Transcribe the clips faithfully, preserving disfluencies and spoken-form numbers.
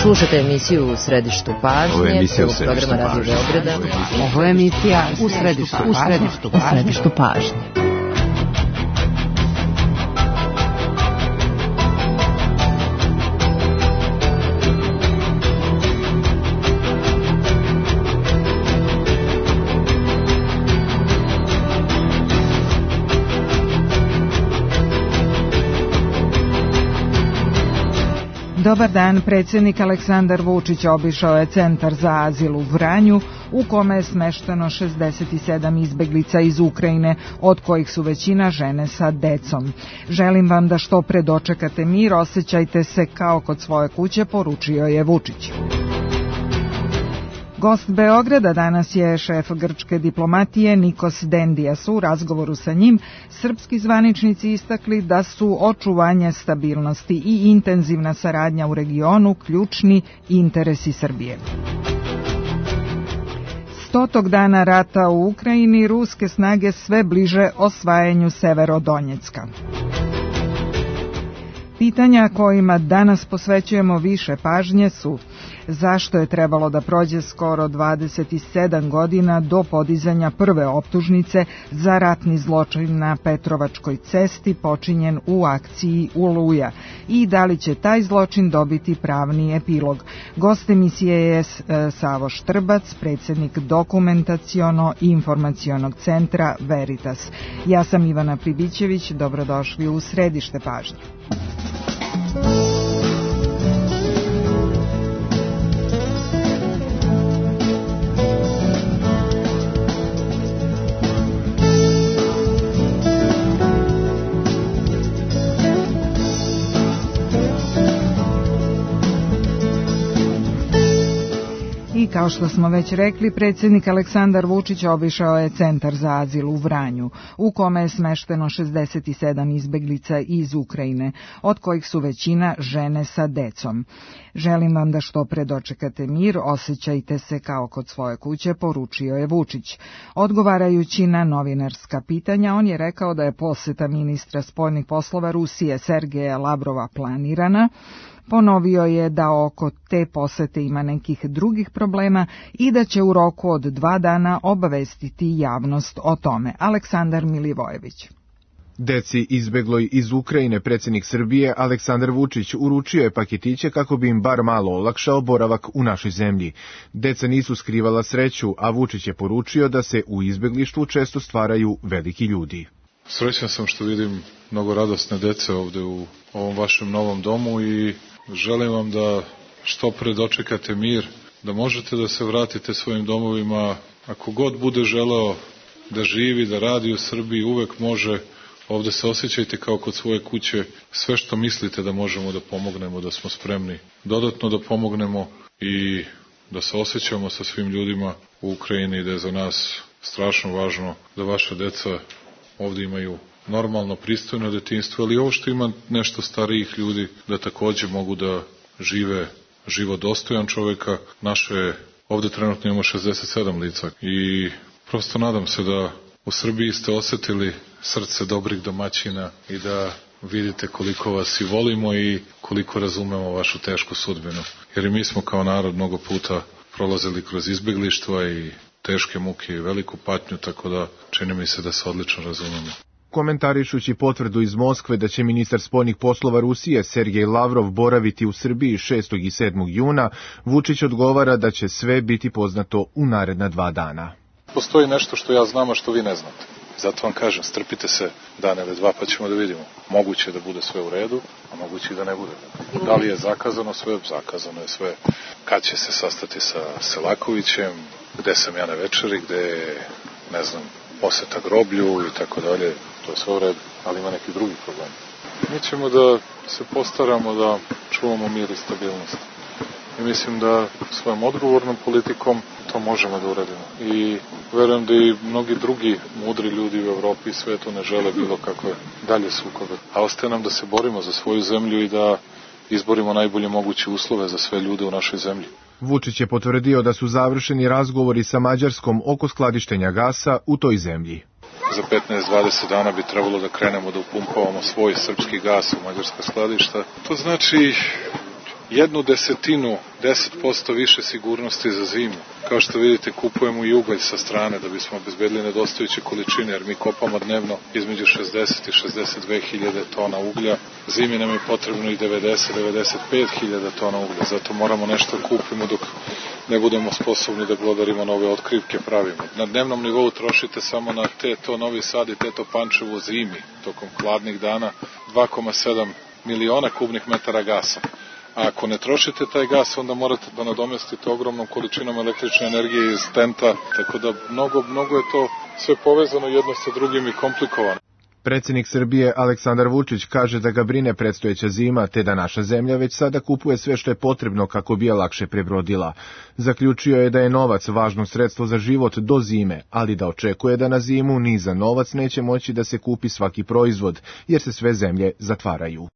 Slušate emisiju U središtu pažnje, Ovo je emisija U prvog središtu programa Radio pažnje. Beograda. Ovo je emisija U središtu U središtu pažnje. U središtu pažnje. Dobar dan, predsjednik Aleksandar Vučić obišao je centar za azil u Vranju, u kome je smešteno šezdeset sedam izbeglica iz Ukrajine, od kojih su većina žene sa decom. Želim vam da što pre dočekate mir, osjećajte se kao kod svoje kuće, poručio je Vučić. Gost Beograda danas je šef grčke diplomatije Nikos Dendias. U razgovoru sa njim srpski zvaničnici istakli da su očuvanje stabilnosti i intenzivna saradnja u regionu ključni interesi Srbije. Stotog dana rata u Ukrajini, ruske snage sve bliže osvajanju Severodonjecka. Pitanja kojima danas posvećujemo više pažnje su: zašto je trebalo da prođe skoro dvadeset sedam godina do podizanja prve optužnice za ratni zločin na Petrovačkoj cesti počinjen u akciji Oluja, i da li će taj zločin dobiti pravni epilog? Gost emisije je Savo Štrbac, predsjednik Dokumentaciono-informacionog centra Veritas. Ja sam Ivana Pribićević, dobrodošli u središte pažnje. I kao što smo već rekli, predsjednik Aleksandar Vučić obišao je centar za azil u Vranju, u kome je smešteno šezdeset sedam izbeglica iz Ukrajine, od kojih su većina žene sa decom. Želim vam da što pre dočekate mir, osjećajte se kao kod svoje kuće, poručio je Vučić. Odgovarajući na novinarska pitanja, on je rekao da je poseta ministra spoljnih poslova Rusije Sergeja Lavrova planirana. Ponovio je da oko te posete ima nekih drugih problema i da će u roku od dva dana obavestiti javnost o tome. Aleksandar Milivojević. Deci izbegloj iz Ukrajine predsjednik Srbije Aleksandar Vučić uručio je paketiće kako bi im bar malo olakšao boravak u našoj zemlji. Deca nisu skrivala sreću, a Vučić je poručio da se u izbeglištvu često stvaraju veliki ljudi. Srećan sam što vidim mnogo radosne dece ovde u ovom vašem novom domu i želim vam da što pre dočekate mir, da možete da se vratite svojim domovima. Ako god bude želeo da živi, da radi u Srbiji, uvek može. Ovde se osjećajte kao kod svoje kuće. Sve što mislite da možemo da pomognemo, da smo spremni dodatno da pomognemo i da se osjećamo sa svim ljudima u Ukrajini i da je za nas strašno važno da vaša deca ovde imaju normalno, pristojno detinjstvo, ali ovo što ima nešto starijih ljudi, da takođe mogu da žive život dostojan čoveka. Naše, ovde trenutno imamo šezdeset sedam lica i prosto nadam se da u Srbiji ste osetili srce dobrih domaćina i da vidite koliko vas i volimo i koliko razumemo vašu tešku sudbinu. Jer i mi smo kao narod mnogo puta prolazili kroz izbeglištva i teške muke i veliku patnju, tako da čini mi se da se odlično razumemo. Komentarišući potvrdu iz Moskve da će ministar spoljnih poslova Rusije Sergej Lavrov boraviti u Srbiji šestog i sedmog juna, Vučić odgovara da će sve biti poznato u naredna dva dana. Postoji nešto što ja znam, a što vi ne znate. Zato vam kažem, strpite se dan ili dva pa ćemo da vidimo. Moguće je da bude sve u redu, a moguće i da ne bude. Da li je zakazano sve? Zakazano je sve. Kad će se sastati sa Selakovićem, gde sam ja na večeri, gde je, ne znam, poseta groblju i tako dalje, to je sve u redu, ali ima neki drugi problem. Mi ćemo da se postaramo da čuvamo mir i stabilnost. I mislim da svojom odgovornom politikom to možemo da uradimo. I verujem da i mnogi drugi mudri ljudi u Evropi i svetu ne žele bilo kakve dalje sukobe. A ostaje nam da se borimo za svoju zemlju i da izborimo najbolje moguće uslove za sve ljude u našoj zemlji. Vučić je potvrdio da su završeni razgovori sa Mađarskom oko skladištenja gasa u toj zemlji. Za petnaest do dvadeset dana bi trebalo da krenemo da upumpavamo svoj srpski gas u mađarska skladišta. To znači jednu desetinu, deset posto više sigurnosti za zimu. Kao što vidite, kupujemo i ugalj sa strane da bismo obezbedili nedostajuće količine, jer mi kopamo dnevno između šezdeset i šezdeset dve hiljade tona uglja. Zimi nam je potrebno i devedeset do devedeset pet hiljada tona uglja, zato moramo nešto kupimo dok ne budemo sposobni da glodarimo nove otkrivke pravimo. Na dnevnom nivou trošite samo na Teto Novi Sad i Teto Pančevo zimi, tokom hladnih dana, dva zarez sedam miliona kubnih metara gasa. A ako ne trošite taj gas, onda morate da nadomestite ogromnom količinom električne energije iz Tenta, tako da mnogo, mnogo je to sve povezano jedno sa drugim i komplikovano. Predsjednik Srbije Aleksandar Vučić kaže da ga brine predstojeća zima, te da naša zemlja već sada kupuje sve što je potrebno kako bi je lakše prebrodila. Zaključio je da je novac važno sredstvo za život do zime, ali da očekuje da na zimu ni za novac neće moći da se kupi svaki proizvod, jer se sve zemlje zatvaraju.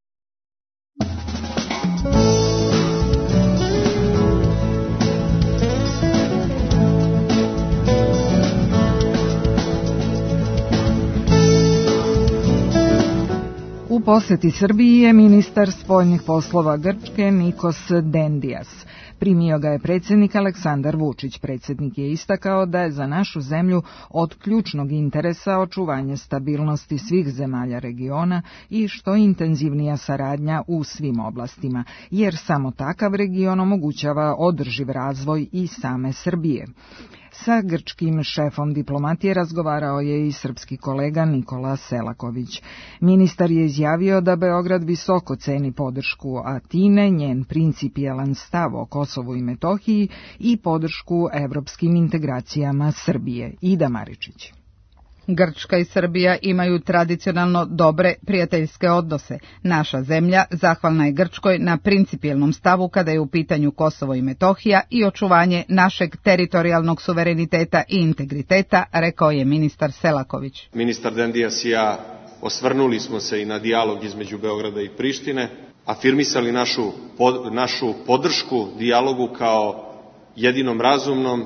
U poseti Srbiji je ministar spoljnih poslova Grčke Nikos Dendias. Primio ga je predsjednik Aleksandar Vučić. Predsjednik je istakao da je za našu zemlju od ključnog interesa očuvanje stabilnosti svih zemalja regiona i što intenzivnija saradnja u svim oblastima, jer samo takav region omogućava održiv razvoj i same Srbije. Sa grčkim šefom diplomatije razgovarao je i srpski kolega Nikola Selaković. Ministar je izjavio da Beograd visoko ceni podršku Atine, njen principijelan stav o Kosovu i Metohiji i podršku evropskim integracijama Srbije. Ida Maričić. Grčka i Srbija imaju tradicionalno dobre prijateljske odnose. Naša zemlja zahvalna je Grčkoj na principijelnom stavu kada je u pitanju Kosovo i Metohija i očuvanje našeg teritorijalnog suvereniteta i integriteta, rekao je ministar Selaković. Ministar Dendias i ja osvrnuli smo se i na dijalog između Beograda i Prištine, afirmisali našu, pod, našu podršku dijalogu kao jedinom razumnom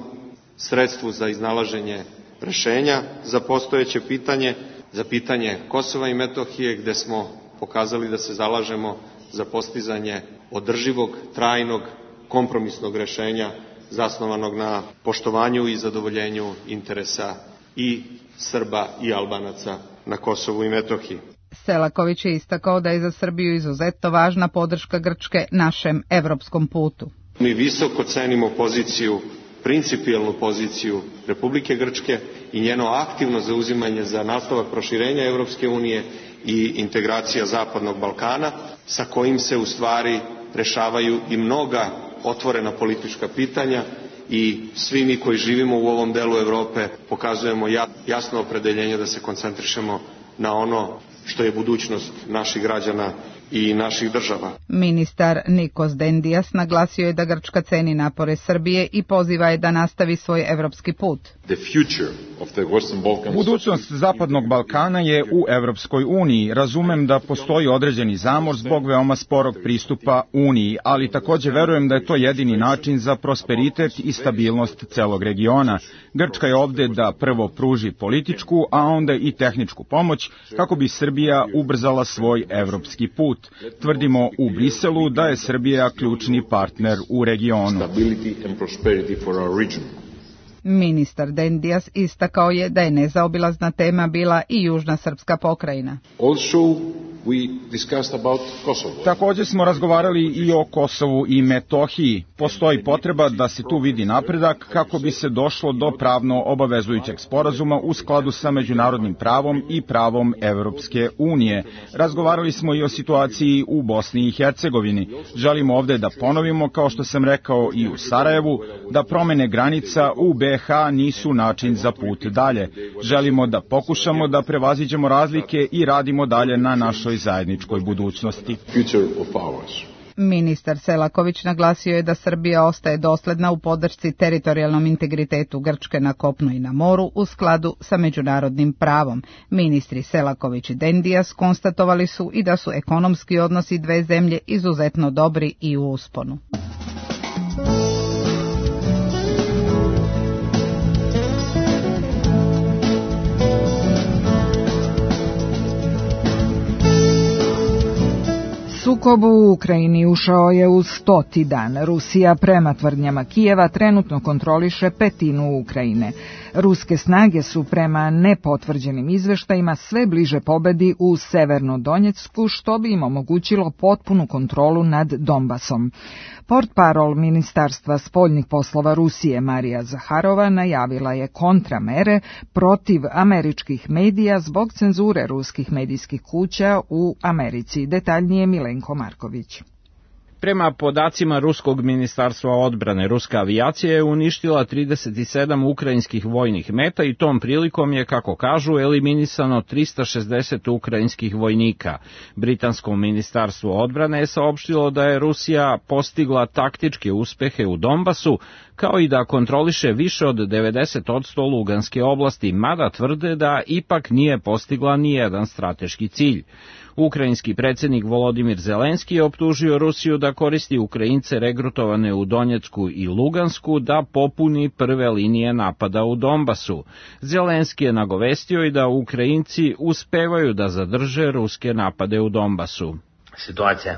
sredstvu za iznalaženje rešenja za postojeće pitanje, za pitanje Kosova i Metohije, gde smo pokazali da se zalažemo za postizanje održivog, trajnog, kompromisnog rešenja zasnovanog na poštovanju i zadovoljenju interesa i Srba i Albanaca na Kosovu i Metohiji. Selaković je istakao da je za Srbiju izuzetno važna podrška Grčke našem evropskom putu. Mi visoko cenimo poziciju, principijelnu poziciju Republike Grčke i njeno aktivno zauzimanje za nastavak proširenja Evropske unije i integracija Zapadnog Balkana, sa kojim se u stvari rešavaju i mnoga otvorena politička pitanja i svi mi koji živimo u ovom delu Evrope pokazujemo jasno opredeljenje da se koncentrišemo na ono što je budućnost naših građana i naših država. Ministar Nikos Dendias naglasio je da Grčka ceni napore Srbije i poziva je da nastavi svoj evropski put. Budućnost Zapadnog Balkana je u Evropskoj uniji. Razumem da postoji određeni zamor zbog veoma sporog pristupa Uniji, ali također verujem da je to jedini način za prosperitet i stabilnost celog regiona. Grčka je ovde da prvo pruži političku, a onda i tehničku pomoć kako bi Srbija ubrzala svoj evropski put. Tvrdimo u Briselu da je Srbija ključni partner u regionu. Ministar Dendias istakao je da je nezaobilazna tema bila i južna srpska pokrajina. Također smo razgovarali i o Kosovu i Metohiji. Postoji potreba da se tu vidi napredak kako bi se došlo do pravno obavezujućeg sporazuma u skladu sa međunarodnim pravom i pravom Evropske unije. Razgovarali smo i o situaciji u Bosni i Hercegovini. Želimo ovde da ponovimo, kao što sam rekao i u Sarajevu, da promene granica u B iH nisu način za put dalje. Želimo da pokušamo da prevaziđemo razlike i radimo dalje na našoj zajedničkoj budućnosti. Ministar Selaković naglasio je da Srbija ostaje dosledna u podršci teritorijalnom integritetu Grčke na kopnu i na moru u skladu sa međunarodnim pravom. Ministri Selaković i Dendias konstatovali su i da su ekonomski odnosi dve zemlje izuzetno dobri i u usponu. Sukob u Ukrajini ušao je u stoti dan. Rusija prema tvrdnjama Kijeva trenutno kontroliše petinu Ukrajine. Ruske snage su prema nepotvrđenim izveštajima sve bliže pobedi u Severnodonjecku, što bi im omogućilo potpunu kontrolu nad Donbasom. Portparol Ministarstva spoljnih poslova Rusije Marija Zaharova najavila je kontramere protiv američkih medija zbog cenzure ruskih medijskih kuća u Americi. Detaljnije Milenko Marković. Prema podacima Ruskog ministarstva odbrane, ruska avijacija je uništila trideset sedam ukrajinskih vojnih meta i tom prilikom je, kako kažu, eliminisano trista šezdeset ukrajinskih vojnika. Britansko ministarstvo odbrane je saopštilo da je Rusija postigla taktičke uspehe u Donbasu, kao i da kontroliše više od devedeset posto Luganske oblasti, mada tvrde da ipak nije postigla ni jedan strateški cilj. Ukrajinski predsjednik Volodimir Zelenski je optužio Rusiju da koristi Ukrajince regrutovane u Donjecku i Lugansku da popuni prve linije napada u Donbasu. Zelenski je nagovestio i da Ukrajinci uspevaju da zadrže ruske napade u Donbasu. Situacija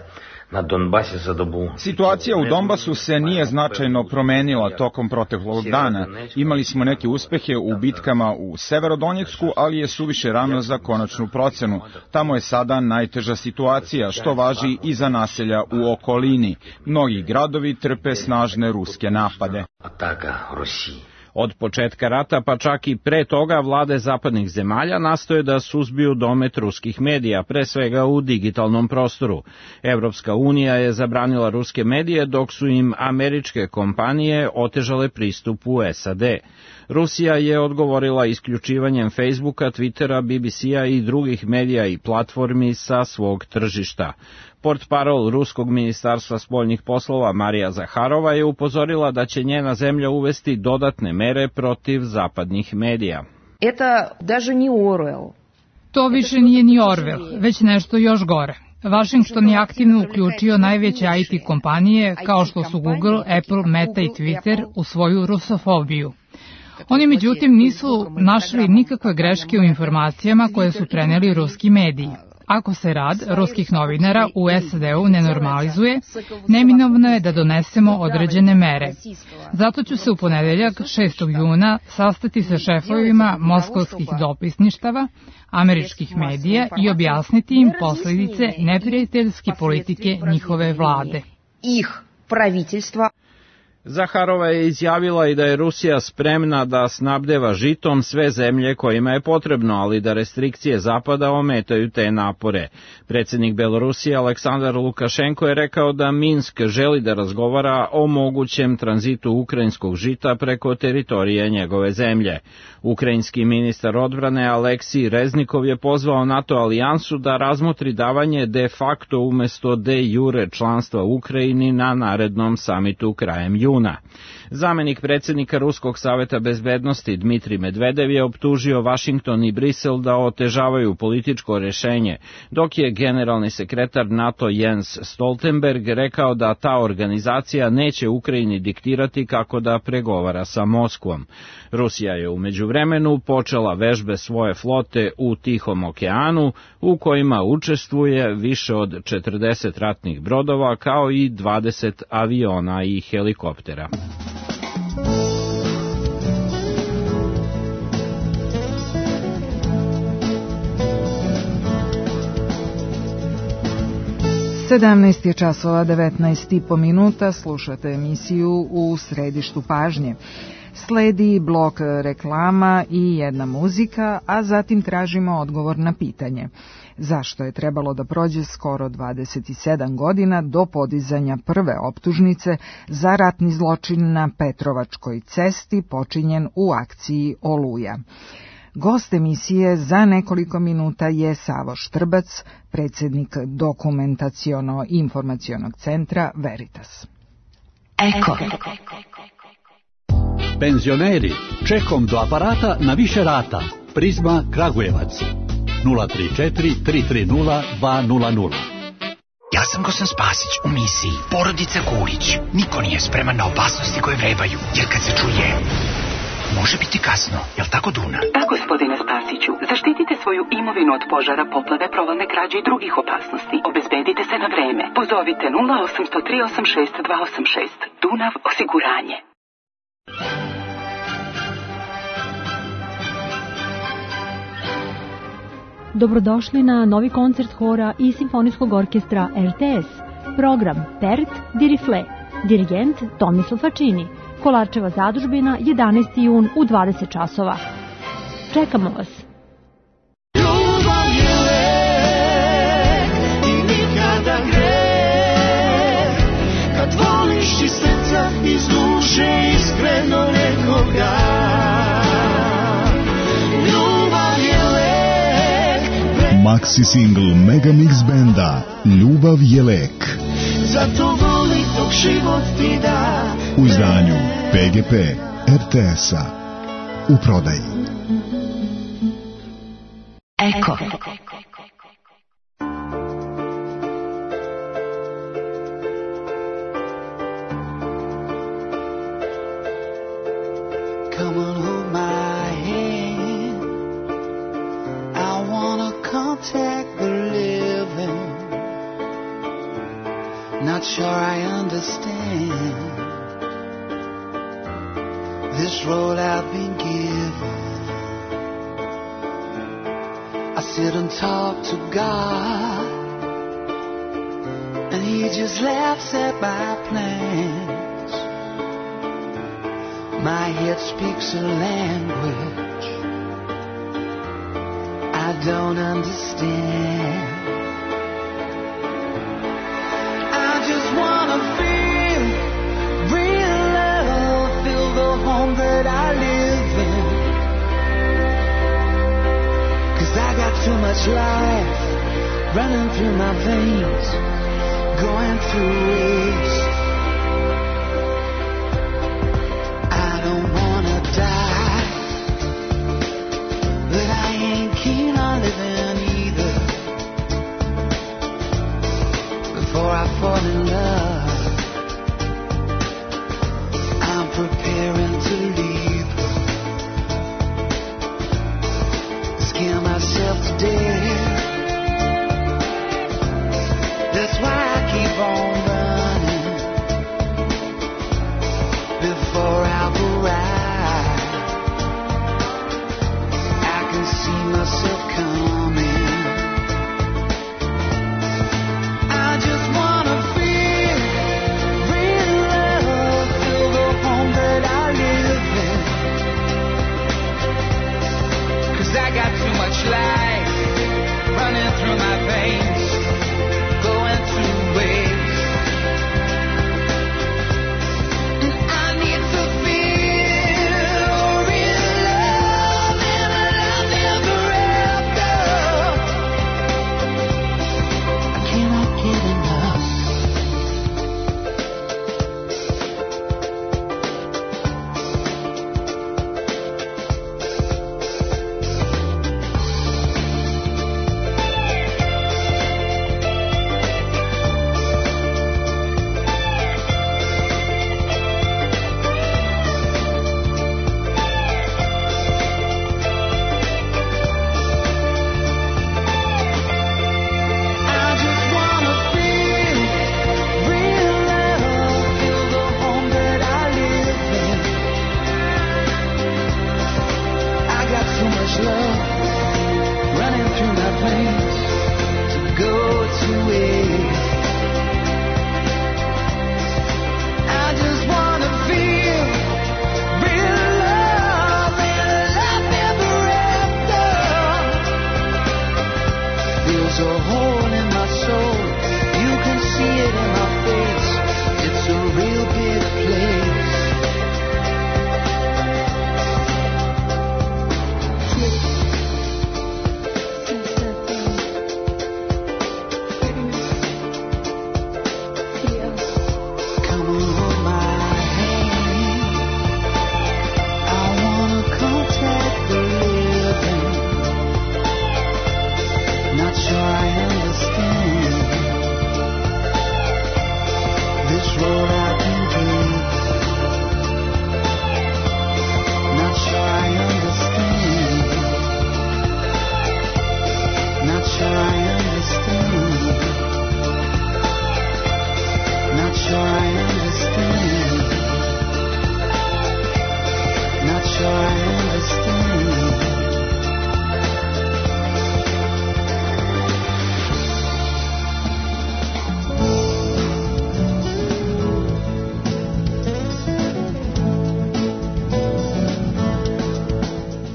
na Donbasi za dobu. Situacija u Donbasu se nije značajno promenila tokom proteklog dana. Imali smo neke uspehe u bitkama u Severodonjecku, ali je suviše rano za konačnu procenu. Tamo je sada najteža situacija, što važi i za naselja u okolini. Mnogi gradovi trpe snažne ruske napade. Ataka Rusiji. Od početka rata, pa čak i pre toga, vlade zapadnih zemalja nastoje da suzbiju domet ruskih medija, pre svega u digitalnom prostoru. Evropska unija je zabranila ruske medije, dok su im američke kompanije otežale pristup u S A D. Rusija je odgovorila isključivanjem Facebooka, Twittera, B B C-a i drugih medija i platformi sa svog tržišta. Portparol Ruskog ministarstva spoljnih poslova Marija Zaharova je upozorila da će njena zemlja uvesti dodatne mere protiv zapadnih medija. Это даже не Orwell. To više nije ni Orwell, već nešto još gore. Washington je aktivno uključio najveće I T kompanije kao što su Google, Apple, Meta i Twitter u svoju rusofobiju. Oni međutim nisu našli nikakve greške u informacijama koje su preneli ruski mediji. Ako se rad ruskih novinara u S A D-u ne normalizuje, neminovno je da donesemo određene mere. Zato ću se u ponedeljak šestog juna sastati sa šefovima moskovskih dopisništava, američkih medija i objasniti im posljedice neprijateljske politike njihove vlade. Ih praviteljstva. Zaharova je izjavila i da je Rusija spremna da snabdeva žitom sve zemlje kojima je potrebno, ali da restrikcije Zapada ometaju te napore. Predsjednik Belorusije Aleksandar Lukašenko je rekao da Minsk želi da razgovara o mogućem tranzitu ukrajinskog žita preko teritorije njegove zemlje. Ukrajinski ministar odbrane Aleksij Reznikov je pozvao NATO alijansu da razmotri davanje de facto umjesto de jure članstva Ukrajini na narednom samitu krajem juna. Zamenik predsjednika Ruskog saveta bezbednosti Dmitrij Medvedev je optužio Washington i Brisel da otežavaju političko rješenje, dok je generalni sekretar NATO Jens Stoltenberg rekao da ta organizacija neće Ukrajini diktirati kako da pregovara sa Moskvom. Rusija je u međuvremenu počela vežbe svoje flote u Tihom okeanu, u kojima učestvuje više od četrdeset ratnih brodova kao i dvadeset aviona i helikoptera. sedamnaest je časova devetnaest i po minuta, slušate emisiju U središtu pažnje. Sledi blok reklama i jedna muzika, a zatim tražimo odgovor na pitanje. Zašto je trebalo da prođe skoro dvadeset sedam godina do podizanja prve optužnice za ratni zločin na Petrovačkoj cesti počinjen u akciji Oluja? Gost emisije za nekoliko minuta je Savo Štrbac, predsjednik Dokumentaciono-informacionog centra Veritas. Eko. Penzioneri, čekom do aparata na više rata. Prizma Kragujevac. nula tri četiri tri tri nula dva nula nula. Ja sam Gosan Spasić u misiji Porodica Kulić. Niko nije spreman na opasnosti koje vrebaju, jer kad se čuje, može biti kasno. Jel tako, Duna? Da, gospodine Spasiću. Zaštitite svoju imovinu od požara, poplave, provalne krađe i drugih opasnosti. Obezbedite Obezbedite se na vreme. Pozovite nula osam zero tri osam šest dva osam šest. Dunav osiguranje. Dobrodošli na novi koncert hora i simfonijskog orkestra R T S. Program Pert di Rifle. Dirigent Tomislav Fačini. Kolarčeva zadužbina, jedanaesti jun u dvadeset časova. Čekamo vas. Ljubav je lek i nikada greh, kad voliš iz srca, iz duše, iskreno nekoga. Ljubav je lek. Maxi single Megamix benda Ljubav je lek. Zato voli dok život ti da. U izdanju P G P R T S-a. U prodaji. Eko. Come on, hold my hand. I wanna contact the living. Not sure I understand this road I've been given. I sit and talk to God, and He just laughs at my plans. My head speaks a language I don't understand. Wanna feel real love, feel the home that I live in. 'Cause I got too much life running through my veins, going through waste. I don't wanna die, but I ain't keen on living either. Before I fall in love, I'm preparing to leave. Scare myself to death. That's why I keep on running. Before I've arrived, I can see myself coming. That I live in.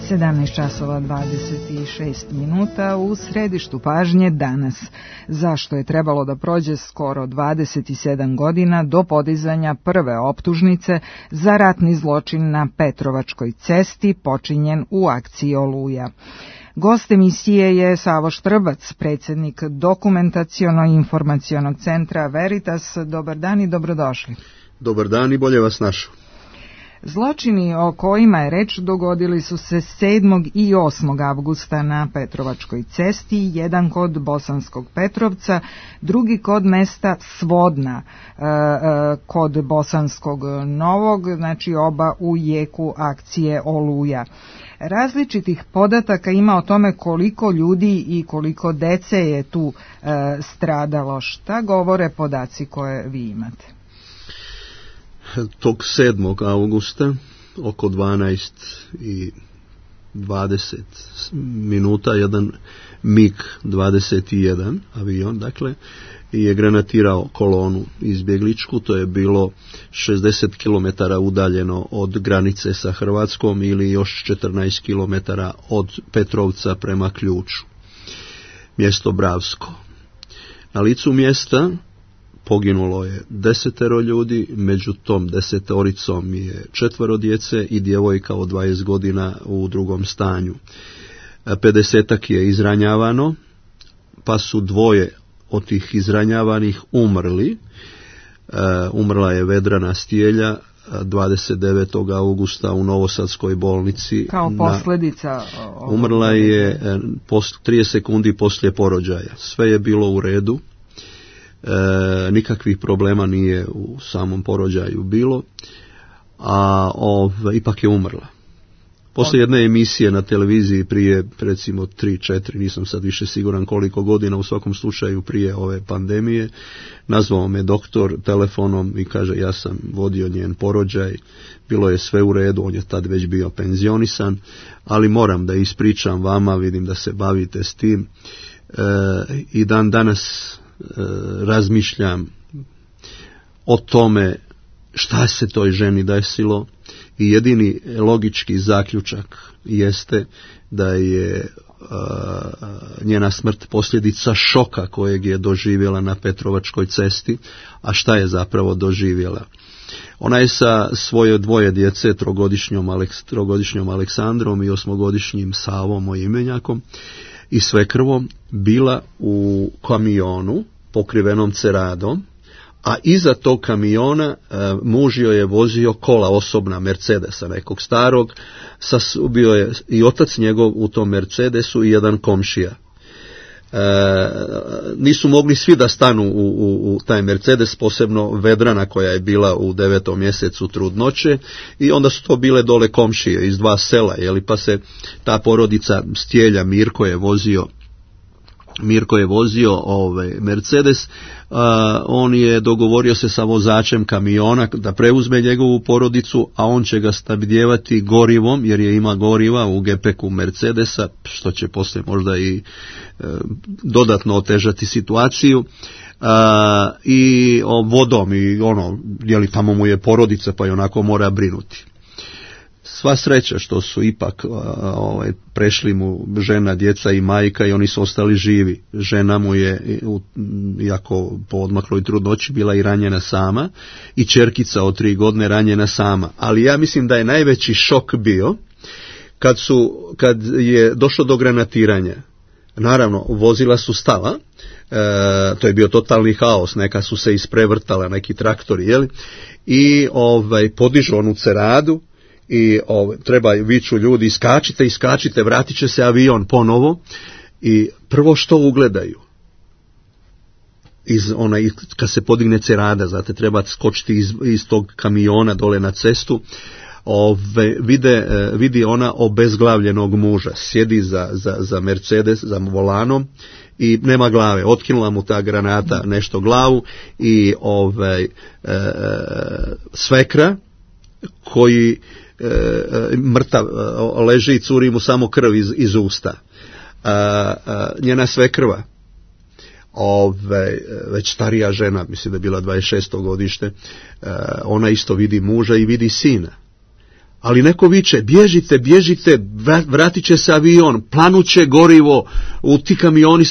sedamnaest časova dvadeset šest minuta u središtu pažnje danas. Zašto je trebalo da prođe skoro dvadeset sedam godina do podizanja prve optužnice za ratni zločin na Petrovačkoj cesti počinjen u akciji Oluja? Gost emisije je Savo Štrbac, predsjednik Dokumentaciono-informacionog centra Veritas. Dobar dan i dobrodošli. Dobar dan i bolje vas našao. Zločini o kojima je reč dogodili su se sedmog i osmog avgusta na Petrovačkoj cesti, jedan kod Bosanskog Petrovca, drugi kod mesta Svodna, kod Bosanskog Novog, znači oba u jeku akcije Oluja. Različitih podataka ima o tome koliko ljudi i koliko dece je tu stradalo. Šta govore podaci koje vi imate? Tog sedmog avgusta oko dvanaest i dvadeset minuta jedan mig dvadeset jedan avion, dakle, je granatirao kolonu izbjegličku. To je bilo šezdeset kilometara udaljeno od granice sa Hrvatskom ili još četrnaest kilometara od Petrovca prema Ključu. Mjesto Bravsko. Na licu mjesta poginulo je desetero ljudi, među tom desetoricom je četvero djece i djevojka od dvadeset godina u drugom stanju. pedesetak je izranjavano, pa su dvoje od tih izranjavanih umrli. Umrla je Vedrana Stijelja dvadeset devetog augusta u Novosadskoj bolnici. Kao posljedica? Umrla je trideset sekundi poslije porođaja. Sve je bilo u redu. E, nikakvih problema nije u samom porođaju bilo, a ov, ipak je umrla. Poslije jedne emisije na televiziji prije recimo tri četiri, nisam sad više siguran koliko godina, u svakom slučaju prije ove pandemije, nazvao me doktor telefonom i kaže ja sam vodio njen porođaj, bilo je sve u redu, on je tad već bio penzionisan, ali moram da ispričam vama, vidim da se bavite s tim, e, i dan danas razmišljam o tome šta se toj ženi desilo i jedini logički zaključak jeste da je uh, njena smrt posljedica šoka kojeg je doživjela na Petrovačkoj cesti. A šta je zapravo doživjela? Ona je sa svoje dvoje djece, trogodišnjom, Aleks, trogodišnjom Aleksandrom i osmogodišnjim Savom, mojim imenjakom, i svekrvom, bila u kamionu pokrivenom ceradom, a iza tog kamiona e, muž joj je vozio kola osobna Mercedesa, nekog starog, sa, bio je i otac njegov u tom Mercedesu i jedan komšija. E, nisu mogli svi da stanu u, u, u taj Mercedes, posebno Vedrana koja je bila u devetom mjesecu trudnoće, i onda su to bile dole komšije iz dva sela, jeli, pa se ta porodica Stijelja, Mirko je vozio Mirko je vozio ovaj Mercedes, a, on je dogovorio se sa vozačem kamiona da preuzme njegovu porodicu, a on će ga snabdijevati gorivom, jer je ima goriva u gepeku Mercedesa, što će poslije možda i e, dodatno otežati situaciju, a, i o, vodom i ono, jeli tamo mu je porodica pa i onako mora brinuti. Sva sreća što su ipak ovaj, prešli mu žena, djeca i majka i oni su ostali živi. Žena mu je, iako po odmakloj trudnoći, bila i ranjena sama i ćerkica od tri godine ranjena sama. Ali ja mislim da je najveći šok bio kad, su, kad je došlo do granatiranja. Naravno, vozila su stala, e, to je bio totalni haos, neka su se isprevrtala, neki traktori, jeli? I ovaj, podižu onu ceradu, i ov, treba viču ljudi, iskačite, iskačite, vratit će se avion ponovo, i prvo što ugledaju iz onaj, kad se podigne cerada, znate, treba skočiti iz, iz tog kamiona dole na cestu, ove, vide, vidi ona obezglavljenog muža, sjedi za, za, za Mercedes, za volanom, i nema glave, otkinula mu ta granata nešto glavu, i ovaj, e, svekra koji E, mrtav leži i curi mu samo krv iz, iz usta. A, a, njena svekrva, ove, već starija žena, mislim da je bila dvadeset šesto godište, a, ona isto vidi muža i vidi sina, ali neko viče, bježite, bježite, vratit će se avion, planuće gorivo, u ti kamioni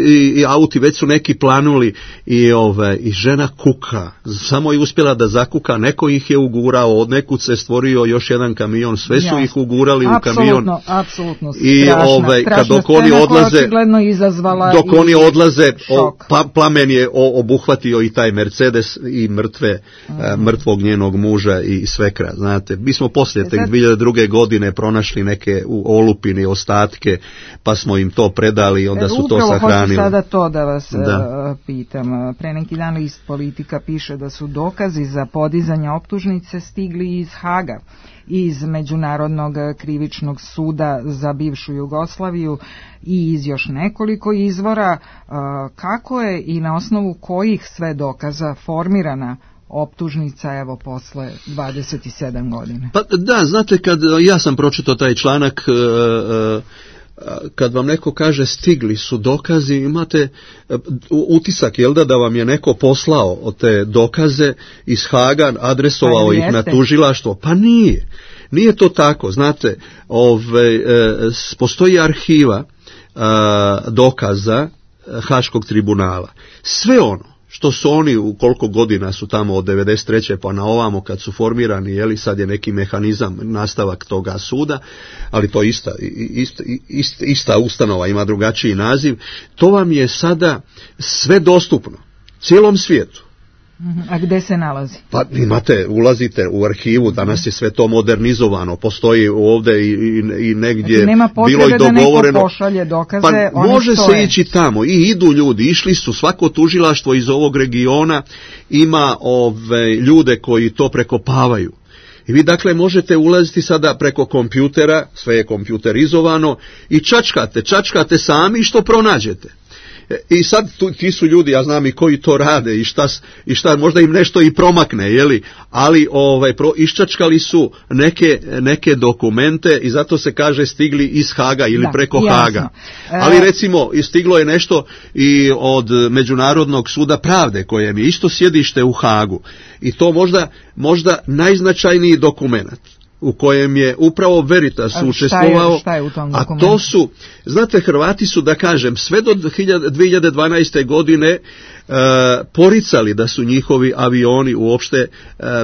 i, i auti već su neki planuli i, ove, i žena kuka, samo je uspjela da zakuka, neko ih je ugurao, od nekud se stvorio još jedan kamion, sve su ja. ih ugurali apsolutno, u kamion. Apsolutno, I strašna, ove, strašna kad dok oni odlaze, dok oni odlaze, o, pa, plamen je o, obuhvatio i taj Mercedes i mrtve, mm. mrtvog njenog muža i svekra, znate, mi smo poslije tek dvije hiljade druge. godine pronašli neke u olupine ostatke, pa smo im to predali i onda e, su to sahranili. Upravo hoću sada to da vas da. pitam. Pre neki dan list Politika piše da su dokazi za podizanje optužnice stigli iz Haga, iz Međunarodnog krivičnog suda za bivšu Jugoslaviju i iz još nekoliko izvora. Kako je i na osnovu kojih sve dokaza formirana optužnica evo posle dvadeset sedam godina? Pa da, znate, kad ja sam pročitao taj članak, kad vam neko kaže stigli su dokazi, imate utisak, jel da, da vam je neko poslao te dokaze iz Haga, adresovao pa ih na tužilaštvo? Pa nije. Nije to tako, znate, ove, postoji arhiva dokaza Haškog tribunala. Sve ono što su oni, u koliko godina su tamo od devedeset treće pa na ovamo kad su formirani, jeli, sad je neki mehanizam, nastavak toga suda, ali to ista, ista, ista, ista ustanova, ima drugačiji naziv, to vam je sada sve dostupno, cijelom svijetu. A gde se nalazi? Pa imate, ulazite u arhivu, danas je sve to modernizovano, postoji ovdje i, i, i negdje znači, nema bilo i dogovoreno. Da neko pošalje dokaze, pa oni može stoje. Se ići tamo i idu ljudi, išli su, svako tužilaštvo iz ovog regiona ima ove ljude koji to prekopavaju. I vi dakle možete ulaziti sada preko kompjutera, sve je kompjuterizovano i čačkate, čačkate sami što pronađete. I sad tu, ti su ljudi, ja znam i koji to rade i šta, i šta možda im nešto i promakne, jeli, ali ovaj, pro, iščačkali su neke, neke dokumente i zato se kaže stigli iz Haga ili da, preko jasno. Haga. Ali recimo stiglo je nešto i od Međunarodnog suda pravde kojem je isto sjedište u Hagu i to možda, možda najznačajniji dokument u kojem je upravo Veritas učestvovao, a to su, znate, Hrvati su, da kažem, sve do dvije hiljade dvanaeste. godine e, poricali da su njihovi avioni uopšte e,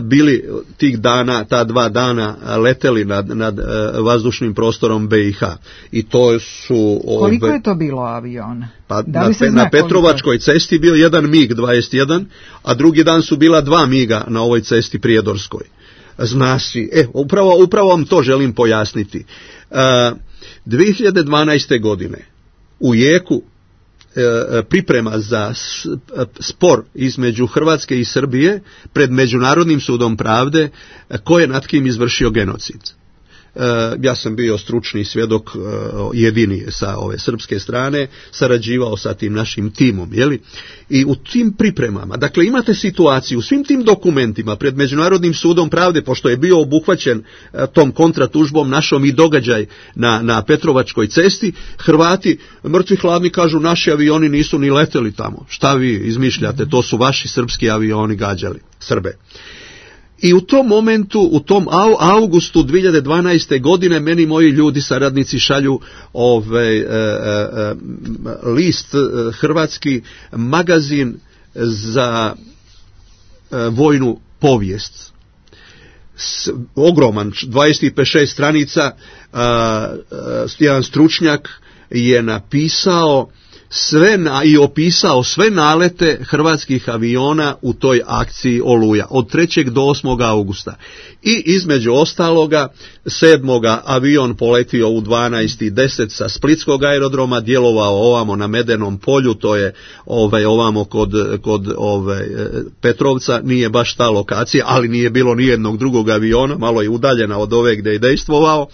bili tih dana, ta dva dana leteli nad, nad e, vazdušnim prostorom B i H. I to su... Ove, koliko je to bilo aviona? Pa na, na Petrovačkoj cesti bio jedan MiG dvadeset jedan, a drugi dan su bila dva MiGa na ovoj cesti Prijedorskoj. Zna si, e, upravo, upravo vam to želim pojasniti. Uh, dvije hiljade dvanaeste. godine u jeku uh, priprema za spor između Hrvatske i Srbije pred Međunarodnim sudom pravde, ko je nad kim izvršio genocid. Uh, ja sam bio stručni svjedok, uh, jedini sa ove srpske strane, sarađivao sa tim našim timom, jeli? I u tim pripremama, dakle imate situaciju u svim tim dokumentima pred Međunarodnim sudom pravde, pošto je bio obuhvaćen uh, tom kontratužbom našom i događaj na, na Petrovačkoj cesti, Hrvati mrtvi hladni kažu naši avioni nisu ni leteli tamo. Šta vi izmišljate, to su vaši srpski avioni gađali Srbe. I u tom momentu, u tom augustu dvije hiljade dvanaeste. godine meni moji ljudi, saradnici šalju ovaj, e, e, list, hrvatski magazin za e, vojnu povijest. S, ogroman, dvadeset šest stranica, a, a, jedan stručnjak je napisao sve na, i opisao sve nalete hrvatskih aviona u toj akciji Oluja od trećeg do osmog augusta. I između ostaloga sedmoga avion poletio u dvanaest i deset sa Splitskog aerodroma, djelovao ovamo na Medenom polju, to je ovaj, ovamo kod, kod ovaj, Petrovca, nije baš ta lokacija, ali nije bilo nijednog drugog aviona, malo je udaljena od ove gdje je dejstvovao.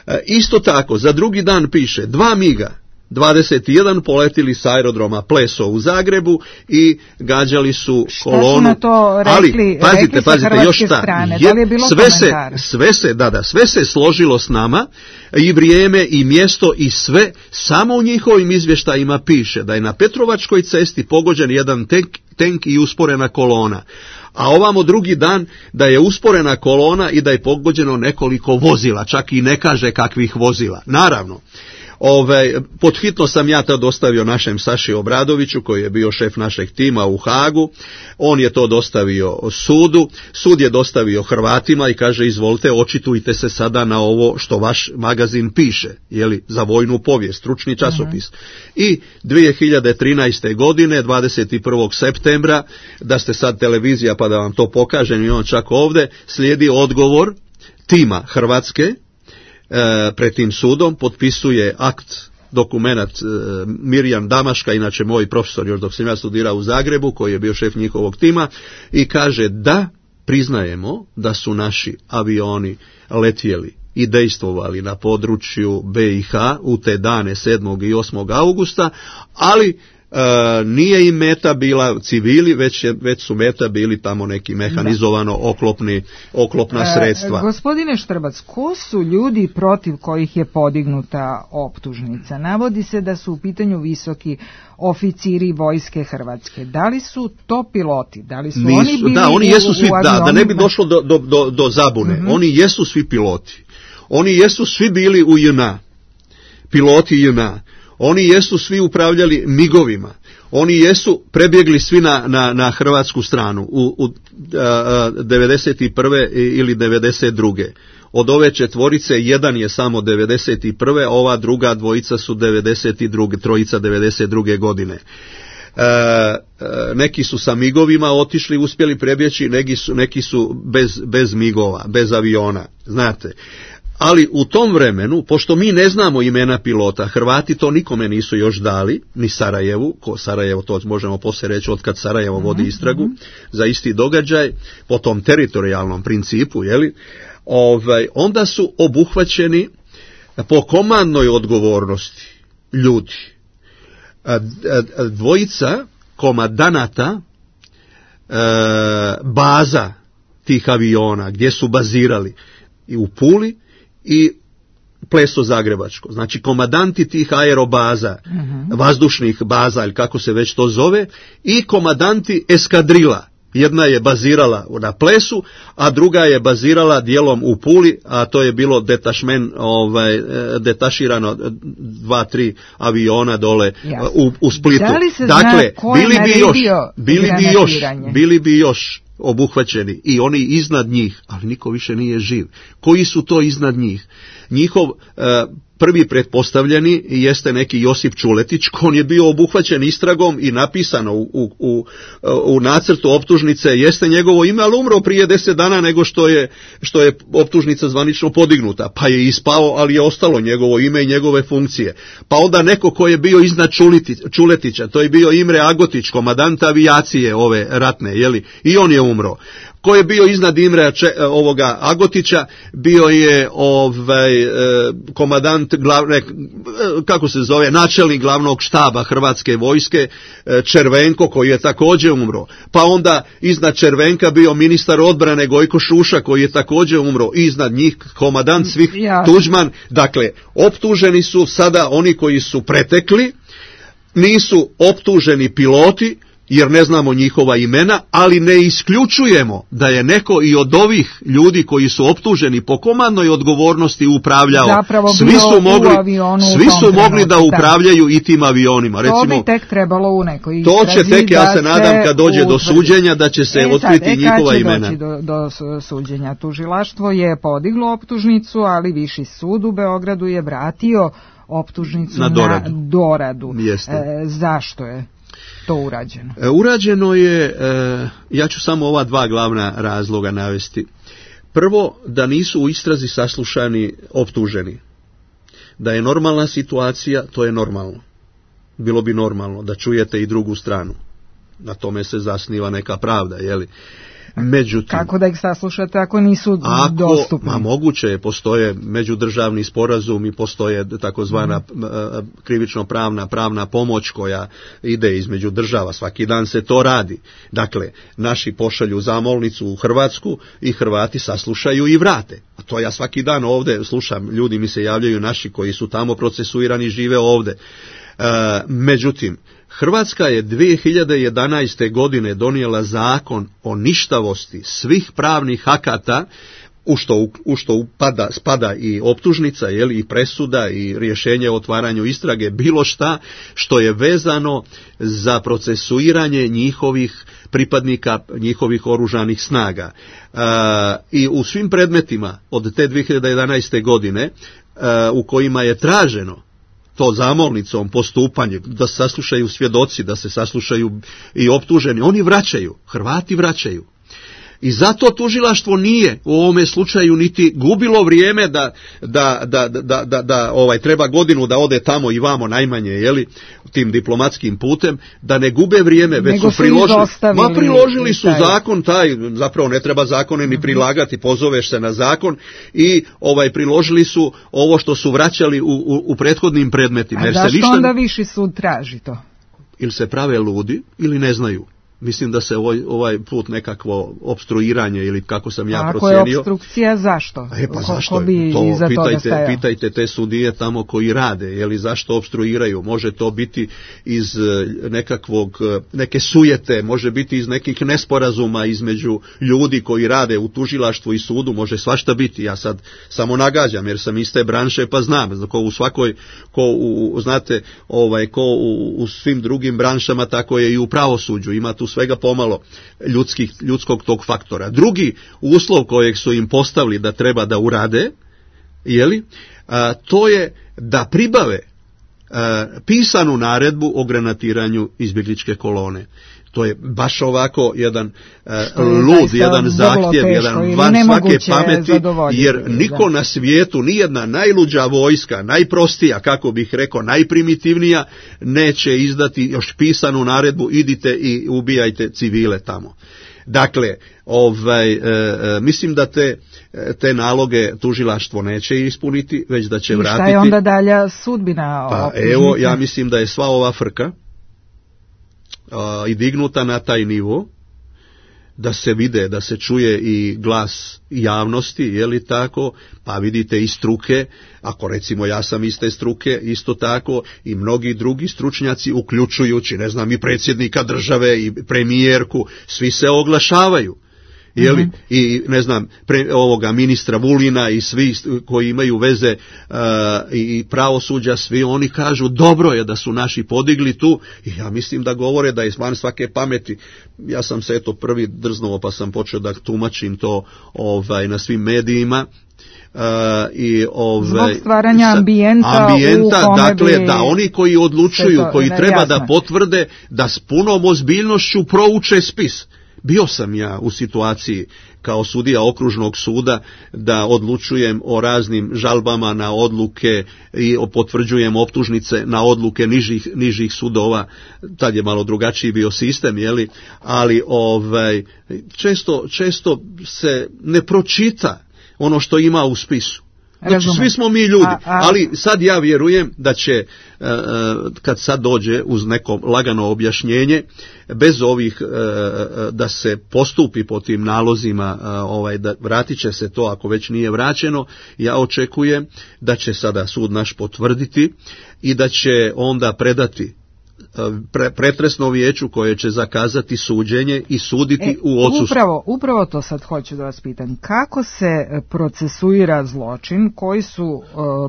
E, isto tako, za drugi dan piše, dva MiGa, dvadeset jedan poletili s aerodroma Pleso u Zagrebu i gađali su kolonu. Šta su na to rekli, ali, pazite, rekli pazite, još šta, strane? Je, da li je bilo sve se, sve se, da, da, sve se složilo s nama, i vrijeme i mjesto i sve, samo u njihovim izvještajima piše da je na Petrovačkoj cesti pogođen jedan tenk, tenk i usporena kolona. A ovamo drugi dan da je usporena kolona i da je pogođeno nekoliko vozila, čak i ne kaže kakvih vozila. Naravno, Ove, podhitno sam ja to dostavio našem Saši Obradoviću, koji je bio šef našeg tima u Hagu. On je to dostavio sudu, sud je dostavio Hrvatima i kaže izvolite, očitujte se sada na ovo što vaš magazin piše, jeli, za vojnu povijest, stručni časopis. Uh-huh. I dvije hiljade trinaeste. godine, dvadeset prvog septembra, da ste sad televizija pa da vam to pokažem i on čak ovdje, slijedi odgovor tima Hrvatske pred tim sudom, potpisuje akt, dokumenat e, Mirjan Damaška, inače moj profesor još dok sam ja studirao u Zagrebu, koji je bio šef njihovog tima, i kaže da priznajemo da su naši avioni letjeli i dejstvovali na području be i ha u te dane sedmog i osmog augusta, ali E, nije im meta bila civili, već, je, već su meta bili tamo neki mehanizovano oklopni, oklopna sredstva. E, gospodine Štrbac, ko su ljudi protiv kojih je podignuta optužnica? Navodi se da su u pitanju visoki oficiri vojske Hrvatske. Da li su to piloti? Da li su Nisu, oni bili da, oni jesu u, svi, u da, da ne bi došlo do, do, do, do zabune. Mm-hmm. Oni jesu svi piloti. Oni jesu svi bili u J N A. Piloti J N A. Oni jesu svi upravljali migovima. Oni jesu prebjegli svi na, na, na hrvatsku stranu u, u a, devedeset prve ili devedeset druge. Od ove četvorice jedan je samo devedeset prve, ova druga dvojica su devedeset druge, trojica devedeset druge. godine. E, e, neki su sa migovima otišli, uspjeli prebjeći, neki su, neki su bez, bez migova, bez aviona, znate. Ali u tom vremenu, pošto mi ne znamo imena pilota, Hrvati to nikome nisu još dali, ni Sarajevu, ko Sarajevo, to možemo poslije reći otkad Sarajevo vodi istragu, mm-hmm. za isti događaj, po tom teritorijalnom principu, jeli, ovaj, onda su obuhvaćeni po komandnoj odgovornosti ljudi. Dvojica komadanata e, baza tih aviona, gdje su bazirali, i u Puli i Pleso Zagrebačko. Znači komadanti tih aerobaza, uh-huh. vazdušnih baza ili kako se već to zove, i komadanti eskadrila. Jedna je bazirala na Plesu, a druga je bazirala dijelom u Puli, a to je bilo detašmen, ovaj, detaširano dva, tri aviona dole u, u Splitu. Da li se dakle, zna bili bi još, bili bi još, bili bi još obuhvaćeni i oni iznad njih, ali niko više nije živ. Koji su to iznad njih? Njihov e, prvi pretpostavljeni jeste neki Josip Čuletić, on je bio obuhvaćen istragom i napisano u, u, u, u nacrtu optužnice jeste njegovo ime, ali umro prije deset dana nego što je, što je optužnica zvanično podignuta, pa je ispao, ali je ostalo njegovo ime i njegove funkcije. Pa onda neko ko je bio iznad Čuliti, Čuletića, to je bio Imre Agotić, komadant avijacije ove ratne, jeli, i on je umro. Ko je bio iznad Imrea Če, ovoga Agotića, bio je ovaj komadant glavne, kako se zove, načelnik glavnog štaba Hrvatske vojske Červenko, koji je također umro. Pa onda iznad Červenka bio ministar odbrane Gojko Šuša, koji je također umro. I iznad njih komadant svih ja. Tuđman. Dakle, optuženi su sada oni koji su pretekli, nisu optuženi piloti, jer ne znamo njihova imena, ali ne isključujemo da je neko i od ovih ljudi koji su optuženi po komandnoj odgovornosti upravljao. Zapravo svi su mogli, svi su mogli da upravljaju i tim avionima. To Recimo, bi tek trebalo u nekoj istrazi. To će tek, ja se nadam, kad dođe do suđenja, da će se e, otkriti sad, e, njihova imena. Kad će doći do, do suđenja? Tužilaštvo je podiglo optužnicu, ali Viši sud u Beogradu je vratio optužnicu na doradu. Na doradu. E, zašto je to urađeno? E, urađeno je, e, ja ću samo ova dva glavna razloga navesti. Prvo, da nisu u istrazi saslušani optuženi. Da je normalna situacija, to je normalno. Bilo bi normalno da čujete i drugu stranu. Na tome se zasniva neka pravda, jeli? Međutim, kako da ih saslušate ako nisu ako, dostupni? Ma moguće je, postoje međudržavni sporazum i postoje takozvana mm. krivično pravna pravna pomoć koja ide između država, svaki dan se to radi. Dakle, naši pošalju zamolnicu u Hrvatsku i Hrvati saslušaju i vrate. A to ja svaki dan ovdje slušam, ljudi mi se javljaju naši koji su tamo procesuirani, žive ovdje. E, međutim, Hrvatska je dvije hiljade jedanaeste. godine donijela zakon o ništavosti svih pravnih akata, u što, u što upada, spada i optužnica, jeli, i presuda i rješenje o otvaranju istrage, bilo šta što je vezano za procesuiranje njihovih pripadnika, njihovih oružanih snaga. E, I u svim predmetima od te dvije hiljade jedanaeste. godine e, u kojima je traženo to zamolnicom postupanje, da se saslušaju svjedoci, da se saslušaju i optuženi, oni vraćaju, Hrvati vraćaju. I zato tužilaštvo nije u ovome slučaju niti gubilo vrijeme da, da, da, da, da, da ovaj, treba godinu da ode tamo i vamo najmanje, jeli, tim diplomatskim putem, da ne gube vrijeme, već Nego su priložili, ma priložili su taj. zakon taj, zapravo ne treba zakone ni prilagati, pozoveš se na zakon i ovaj priložili su ovo što su vraćali u, u, u prethodnim predmetima. A jer da se što ništa... onda viši sud traži to? Ili se prave ludi, ili ne znaju. Mislim da se ovaj, ovaj put nekakvo opstruiranje ili kako sam ja ako procijenio. Ako je opstrukcija, zašto? E pa ko, zašto? Ko bi to iza pitajte, toga pitajte te sudije tamo koji rade, je li zašto opstruiraju? Može to biti iz nekakvog, neke sujete, može biti iz nekih nesporazuma između ljudi koji rade u tužilaštvu i sudu, može svašta biti. Ja sad samo nagađam jer sam iz te branše pa znam, ko u svakoj, ko u, znate, ovaj, ko u, u svim drugim branšama, tako je i u pravosuđu, ima tu svega pomalo ljudskih, ljudskog tog faktora. Drugi uslov kojeg su im postavili da treba da urade, jeli, a, to je da pribave a, pisanu naredbu o granatiranju izbjegličke kolone. To je baš ovako jedan uh, lud, jedan zahtjev, jedan van svake pameti, jer niko na svijetu, nijedna najluđa vojska, najprostija, kako bih rekao, najprimitivnija, neće izdati još pisanu naredbu, idite i ubijajte civile tamo. Dakle, ovaj, e, mislim da te, te naloge tužilaštvo neće ispuniti, već da će I vratiti. Šta je onda dalja sudbina? Pa evo, ja mislim da je sva ova frka i dignuta na taj nivo, da se vide, da se čuje i glas javnosti, je li tako, pa vidite i struke, ako recimo ja sam iz te struke, isto tako i mnogi drugi stručnjaci, uključujući, ne znam, i predsjednika države i premijerku, svi se oglašavaju. Jeli, mm-hmm. I ne znam, pre, ovoga ministra Vulina i svi koji imaju veze uh, i pravosuđa, svi oni kažu dobro je da su naši podigli tu i ja mislim da govore da je van svake pameti. Ja sam se eto prvi drznuo pa sam počeo da tumačim to ovaj, na svim medijima. Uh, i ovaj, zbog stvaranja ambijenta, ambijenta u dakle bi... da oni koji odlučuju, to, koji treba jasno. Da potvrde da s punom ozbiljnošću prouče spis. Bio sam ja u situaciji kao sudija okružnog suda da odlučujem o raznim žalbama na odluke i potvrđujem optužnice na odluke nižih, nižih sudova. Tad je malo drugačiji bio sistem, jeli? Ali ovaj, često, često se ne pročita ono što ima u spisu. Znači, svi smo mi ljudi, a, a... ali sad ja vjerujem da će, uh, kad sad dođe uz neko lagano objašnjenje, bez ovih, uh, da se postupi po tim nalozima, uh, ovaj, da vratit će se to ako već nije vraćeno, ja očekujem da će sada sud naš potvrditi i da će onda predati Pre, pretresno vijeću koje će zakazati suđenje i suditi e, u odsustvu. Upravo, upravo to sad hoću da vas pitam. Kako se procesuira zločin koji su uh,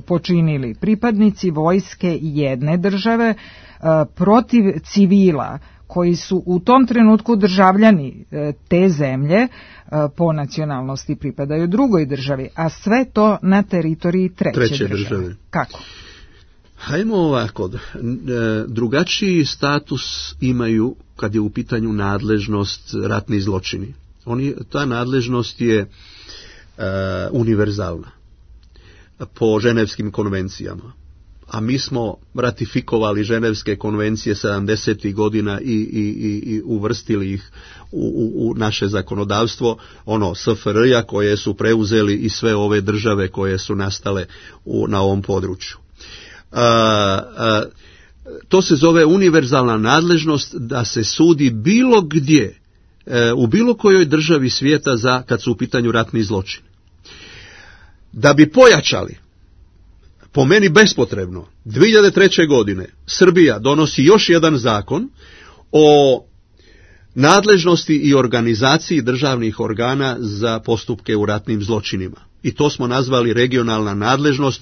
počinili pripadnici vojske jedne države uh, protiv civila koji su u tom trenutku državljani uh, te zemlje, uh, po nacionalnosti pripadaju drugoj državi, a sve to na teritoriji treće, treće države. države. Kako? Hajmo ovako, drugačiji status imaju kad je u pitanju nadležnost ratni zločini. Oni, ta nadležnost je e, univerzalna po ženevskim konvencijama. a mi smo ratifikovali Ženevske konvencije sedamdesetih godina i, i, i, i uvrstili ih u, u, u naše zakonodavstvo, ono S F R-a koje su preuzeli i sve ove države koje su nastale u, na ovom području. A, a, to se zove univerzalna nadležnost da se sudi bilo gdje, e, u bilo kojoj državi svijeta za kad su u pitanju ratni zločini. Da bi pojačali, po meni bespotrebno, dvije hiljade treće. godine Srbija donosi još jedan zakon o nadležnosti i organizaciji državnih organa za postupke u ratnim zločinima. I to smo nazvali regionalna nadležnost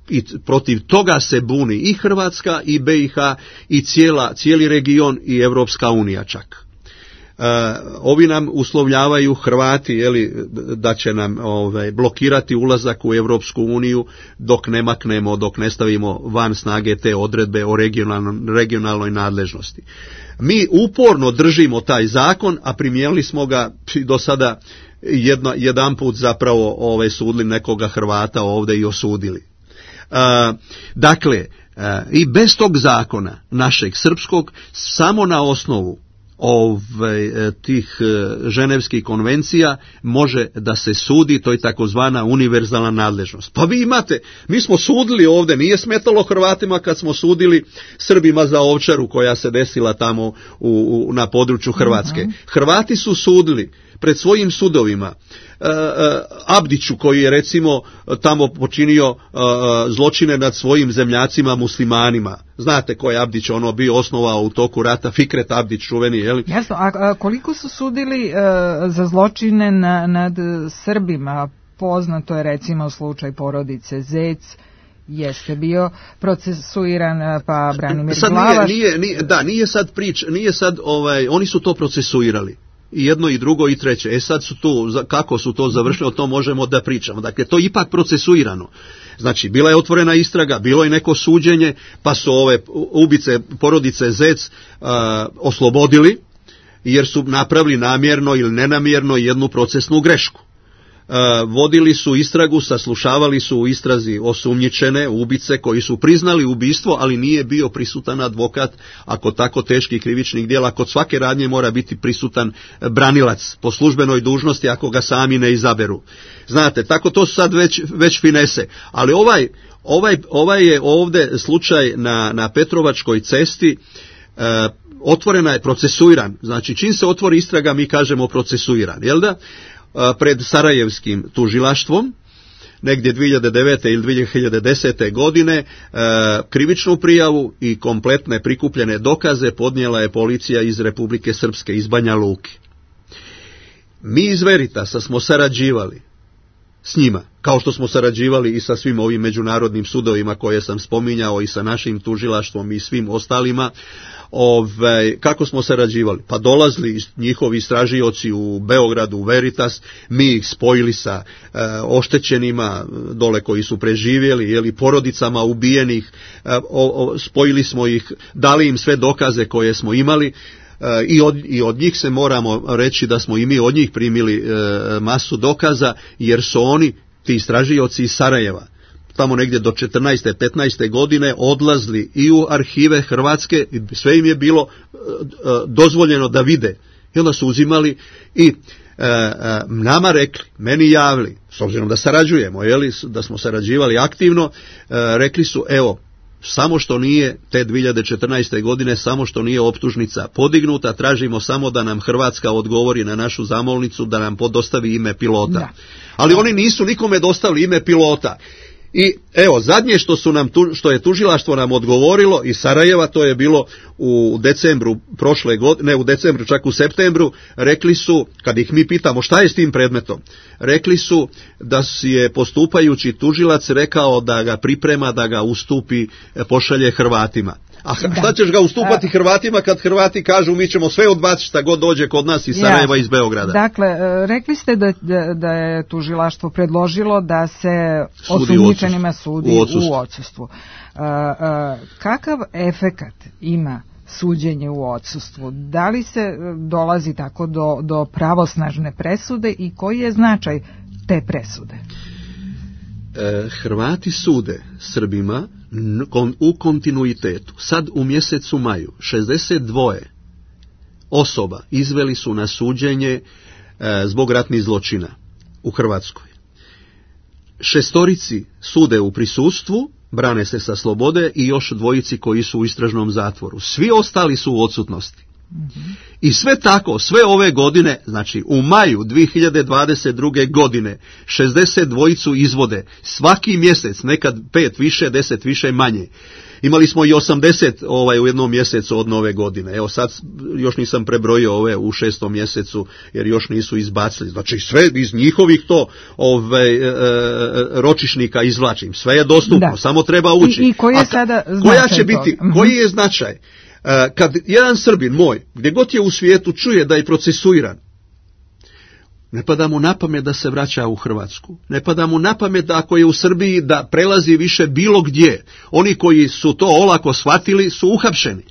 i protiv toga se buni i Hrvatska i B i H i cijela, cijeli region i Europska unija čak. Uh, ovi nam uslovljavaju Hrvati, jeli, da će nam ovaj, blokirati ulazak u Europsku uniju dok ne maknemo, dok ne stavimo van snage te odredbe o regionalnoj nadležnosti. Mi uporno držimo taj zakon, a primijenili smo ga do sada jedno, jedan put zapravo ovaj, sudili nekoga Hrvata ovdje i osudili. Uh, dakle, uh, i bez tog zakona našeg srpskog, samo na osnovu Ove, tih ženevskih konvencija može da se sudi, to je takozvana univerzalna nadležnost. Pa vi imate, mi smo sudili ovdje, nije smetalo Hrvatima kad smo sudili Srbima za Ovčaru koja se desila tamo u, u, na području Hrvatske. Uh-huh. Hrvati su sudili pred svojim sudovima uh, uh, Abdiću koji je recimo tamo počinio uh, zločine nad svojim zemljacima muslimanima. Znate ko je Abdić, ono bio osnovao u toku rata, Fikret Abdić čuveni, je li? Jasno, a, a koliko su sudili uh, za zločine na, nad Srbima? Poznato je recimo slučaj porodice Zec, jeste bio procesuiran, pa Branimir sad Glavaš. Nije, nije, nije, da, nije sad prič, nije sad, ovaj, oni su to procesuirali. I jedno i drugo i treće. E sad su tu, kako su to završili, o tom možemo da pričamo. Dakle, to je ipak procesuirano. Znači, bila je otvorena istraga, bilo je neko suđenje, pa su ove ubice porodice Zec uh, oslobodili, jer su napravili namjerno ili nenamjerno jednu procesnu grešku. Uh, vodili su istragu, saslušavali su u istrazi osumnjičene ubice koji su priznali ubistvo, ali nije bio prisutan advokat, ako tako teških krivičnih djela, kod svake radnje mora biti prisutan branilac po službenoj dužnosti ako ga sami ne izaberu. Znate, tako to su sad već, već finese, ali ovaj, ovaj, ovaj je ovdje slučaj na, na Petrovačkoj cesti, uh, otvorena je, procesuiran, znači čim se otvori istraga mi kažemo procesuiran, jel da? Pred Sarajevskim tužilaštvom, negdje dvije hiljade devete ili dvije hiljade desete. godine, krivičnu prijavu i kompletne prikupljene dokaze podnijela je policija iz Republike Srpske, iz Banja Luke. Mi iz Veritasa smo sarađivali s njima, kao što smo sarađivali i sa svim ovim međunarodnim sudovima koje sam spominjao i sa našim tužilaštvom i svim ostalima. Ove, kako smo sarađivali? Pa dolazili njihovi istražioci u Beogradu, u Veritas, mi ih spojili sa e, oštećenima dole koji su preživjeli, jeli, porodicama ubijenih, e, o, o, spojili smo ih, dali im sve dokaze koje smo imali. E, i, od, i od njih se moramo reći da smo i mi od njih primili e, masu dokaza, jer su oni, ti istražioci iz Sarajeva, tamo negdje do četrnaeste petnaeste. godine odlazili i u arhive Hrvatske, sve im je bilo e, dozvoljeno da vide. I onda su uzimali i e, e, nama rekli, meni javili, s obzirom da sarađujemo, jeli, da smo sarađivali aktivno, e, rekli su, evo, samo što nije te dvije hiljade četrnaeste. godine, samo što nije optužnica podignuta, tražimo samo da nam Hrvatska odgovori na našu zamolnicu, da nam podostavi ime pilota. Da. Ali oni nisu nikome dostavili ime pilota. I evo, zadnje što su nam tu, što je tužilaštvo nam odgovorilo iz Sarajeva, to je bilo u decembru prošle godine, ne u decembru, čak u septembru, rekli su, kad ih mi pitamo šta je s tim predmetom, rekli su da si je postupajući tužilac rekao da ga priprema, da ga ustupi, pošalje Hrvatima. A šta ćeš ga ustupati a, Hrvatima kad Hrvati kažu mi ćemo sve odbaciti šta god dođe kod nas iz Sarajeva, iz Beograda? Dakle, rekli ste da, da, da je tužilaštvo predložilo da se osumnjičenima sudi u odsustvu. U odsustvu. A, a, kakav efekat ima suđenje u odsustvu? Da li se dolazi tako do, do pravosnažne presude i koji je značaj te presude? E, Hrvati sude Srbima u kontinuitetu. Sad u mjesecu maju šezdeset dva osoba izveli su na suđenje e, zbog ratnih zločina u Hrvatskoj. Šestorici sude u prisustvu, brane se sa slobode i još dvojici koji su u istražnom zatvoru. Svi ostali su u odsutnosti. Mm-hmm. I sve tako, sve ove godine, znači u maju dvije hiljade dvadeset druge godine, šezdeset dvojicu izvode svaki mjesec, nekad pet više, deset više, manje. Imali smo i osamdeset ovaj, u jednom mjesecu od nove godine. Evo sad još nisam prebrojio ove u šestom mjesecu jer još nisu izbacili. Znači sve iz njihovih to ovaj, e, ročišnika izvlačim. Sve je dostupno, da. Samo treba ući. I, i koji je sada značaj koja će biti, koji je značaj? E, kad jedan Srbin moj, gdje god je u svijetu, čuje da je procesuiran, ne pada mu na pamet da se vraća u Hrvatsku. Ne pada mu na pamet da ako je u Srbiji da prelazi više bilo gdje. Oni koji su to olako shvatili su uhapšeni.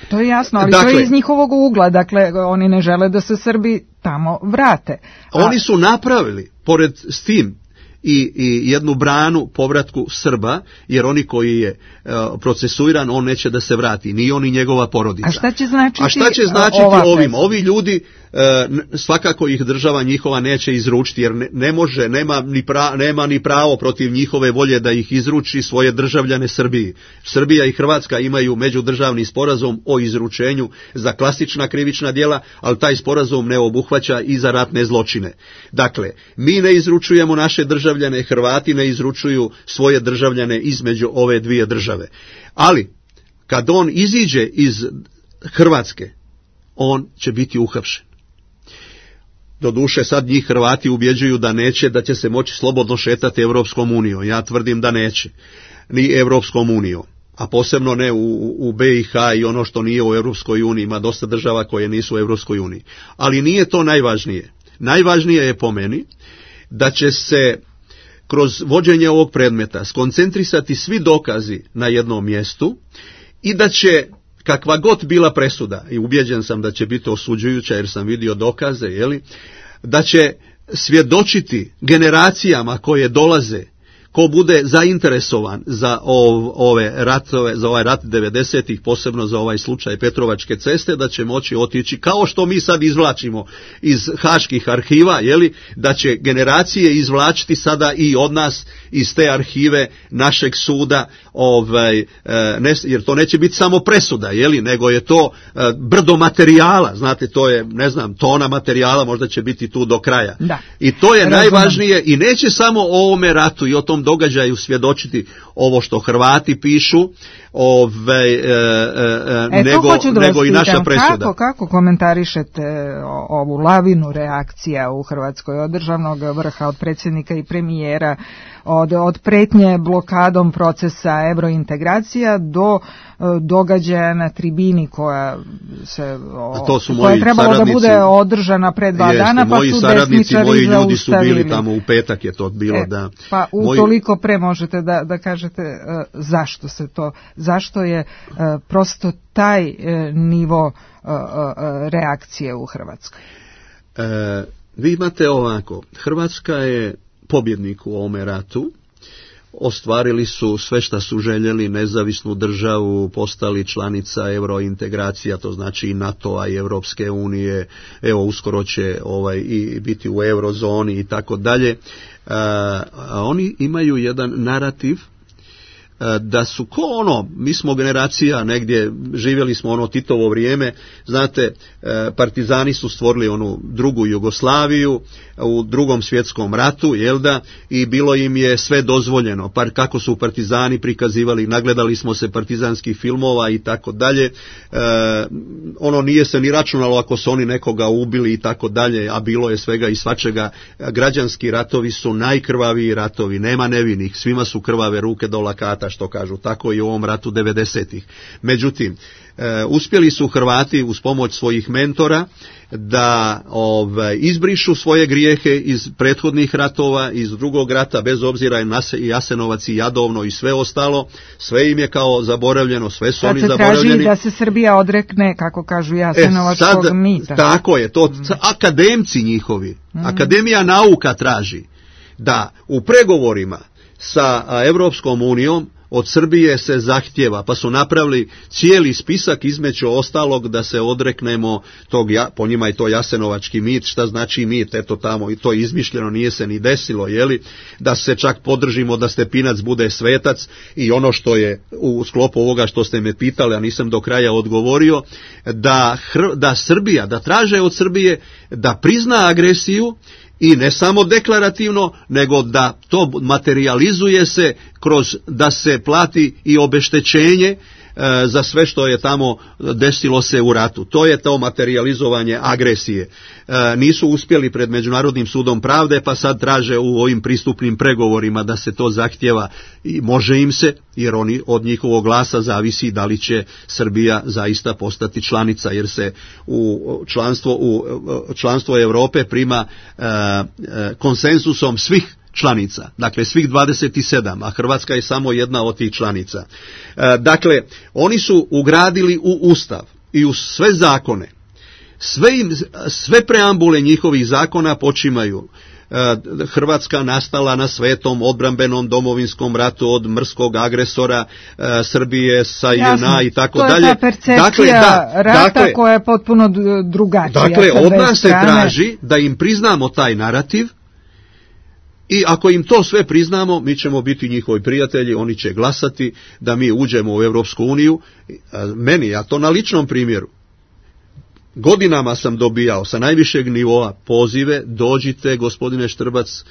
To je jasno, ali dakle, to je iz njihovog ugla. Dakle, oni ne žele da se Srbi tamo vrate. A oni su napravili, pored s tim, I, i jednu branu povratku Srba, jer oni koji je uh, procesuiran, on neće da se vrati, ni on ni njegova porodica. A šta će značiti, A šta će značiti ovim? Ovi ljudi, uh, svakako ih država njihova neće izručiti, jer ne, ne može, nema ni, pra, nema ni pravo protiv njihove volje da ih izruči svoje državljane Srbiji. Srbija i Hrvatska imaju međudržavni sporazum o izručenju za klasična krivična djela, ali taj sporazum ne obuhvaća i za ratne zločine. Dakle, mi ne izručujemo naše državljane, Hrvati ne izručuju svoje državljane između ove dvije države. Ali, kad on iziđe iz Hrvatske, on će biti uhapšen. Doduše, sad njih Hrvati ubjeđuju da neće, da će se moći slobodno šetati Evropskom unijom. Ja tvrdim da neće, ni Evropskom unijom. A posebno ne u, u be i ha i ono što nije u Evropskoj uniji. Ima dosta država koje nisu u Evropskoj uniji. Ali nije to najvažnije. Najvažnije je po meni da će se kroz vođenje ovog predmeta skoncentrisati svi dokazi na jednom mjestu i da će, kakva god bila presuda, i ubjeđen sam da će biti osuđujuća jer sam vidio dokaze, jeli, da će svjedočiti generacijama koje dolaze, ko bude zainteresovan za ov, ove ratove, za ovaj rat devedesetih, posebno za ovaj slučaj Petrovačke ceste, da će moći otići, kao što mi sad izvlačimo iz haških arhiva, jeli, da će generacije izvlačiti sada i od nas iz te arhive našeg suda, ovaj, ne, jer to neće biti samo presuda, jeli, nego je to brdo materijala, znate, to je, ne znam, tona materijala, možda će biti tu do kraja. Da. I to je Razumem. najvažnije i neće samo o ovome ratu i o tom događaju svjedočiti ovo što Hrvati pišu, ove, e, e, nego, nego i naša presuda. Kako, kako komentarišete ovu lavinu reakcija u Hrvatskoj od državnog vrha, od predsjednika i premijera, od, od pretnje blokadom procesa evrointegracija do događaja na tribini koja se to su koja je trebalo da bude održana pre dva jeste, dana, pa moji su saradnici, moji ljudi zaustavili. su bili tamo u petak, je to bilo, e, da. Pa utoliko moji... pre možete da, da kažete uh, zašto se to, zašto je uh, prosto taj uh, nivo uh, uh, reakcije u Hrvatskoj? E, vi imate ovako, Hrvatska je pobjednik u ovome ratu, ostvarili su sve što su željeli, nezavisnu državu, postali članica eurointegracija, to znači i NATO-a i Europske unije, evo uskoro će ovaj, i biti u eurozoni i tako dalje. Oni imaju jedan narativ da su ko ono, mi smo generacija negdje, živjeli smo ono Titovo vrijeme, znate, partizani su stvorili onu drugu Jugoslaviju u drugom svjetskom ratu, jel da, i bilo im je sve dozvoljeno, par kako su partizani prikazivali, nagledali smo se partizanskih filmova i tako dalje, ono nije se ni računalo ako su oni nekoga ubili i tako dalje, a bilo je svega i svačega. Građanski ratovi su najkrvaviji ratovi, nema nevinih, svima su krvave ruke do lakata, što kažu, tako i u ovom ratu devedesetih. Međutim, e, uspjeli su Hrvati uz pomoć svojih mentora da ovaj, izbrišu svoje grijehe iz prethodnih ratova, iz drugog rata, bez obzira na i Jasenovac i Jadovno i sve ostalo, sve im je kao zaboravljeno, sve su sad oni se zaboravljeni. Traži da se Srbija odrekne, kako kažu, Jasenovačkog e, sad, mita. Tako je, to mm. akademci njihovi, mm. Akademija nauka traži da u pregovorima sa Evropskom unijom od Srbije se zahtjeva, pa su napravili cijeli spisak između ostalog da se odreknemo tog, po njima je to jasenovački mit, šta znači mit, eto tamo i to je izmišljeno, nije se ni desilo, jeli, da se čak podržimo da Stepinac bude svetac i ono što je u sklopu ovoga što ste me pitali, a nisam do kraja odgovorio, da, da Srbija, da traže od Srbije da prizna agresiju i ne samo deklarativno, nego da to materializuje se kroz da se plati i obeštećenje e, za sve što je tamo desilo se u ratu. To je to materializovanje agresije. E, nisu uspjeli pred Međunarodnim sudom pravde, pa sad traže u ovim pristupnim pregovorima da se to zahtjeva i može im se, jer oni od njihovog glasa zavisi da li će Srbija zaista postati članica, jer se u članstvo, u članstvo Europe prima e, e, konsensusom svih članica, dakle svih dvadeset sedam, a Hrvatska je samo jedna od tih članica. E, dakle, oni su ugradili u Ustav i u sve zakone, sve, im, sve preambule njihovih zakona počimaju Hrvatska nastala na svetom odbrambenom domovinskom ratu od mrskog agresora e, Srbije sa J N A i tako dalje. To je ta percepcija dakle, da, rata dakle, koja je potpuno drugačija. Dakle, od nas se traži da im priznamo taj narativ i ako im to sve priznamo, mi ćemo biti njihovi prijatelji, oni će glasati da mi uđemo u Europsku uniju. Meni, ja to na ličnom primjeru, godinama sam dobijao sa najvišeg nivoa pozive, dođite gospodine Štrbac,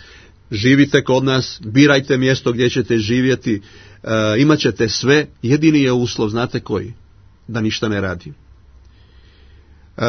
živite kod nas, birajte mjesto gdje ćete živjeti, e, imat ćete sve, jedini je uslov, znate koji? Da ništa ne radim. E,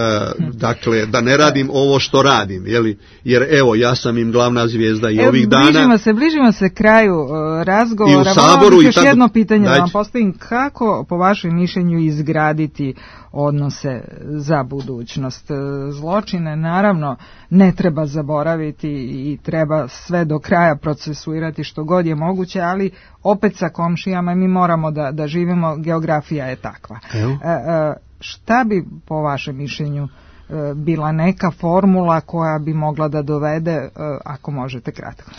dakle, da ne radim ovo što radim, jeli? Jer evo, ja sam im glavna zvijezda i evo, ovih dana. Bližimo se, bližimo se kraju uh, razgovora. I u Saboru. Još i tako, jedno pitanje dajte. da vam postavim. Kako, po vašem mišljenju, izgraditi odnose za budućnost? Zločine, naravno, ne treba zaboraviti i treba sve do kraja procesuirati što god je moguće, ali opet sa komšijama mi moramo da, da živimo, geografija je takva. Evo. E, e, Šta bi po vašem mišljenju bila neka formula koja bi mogla da dovede, ako možete kratko?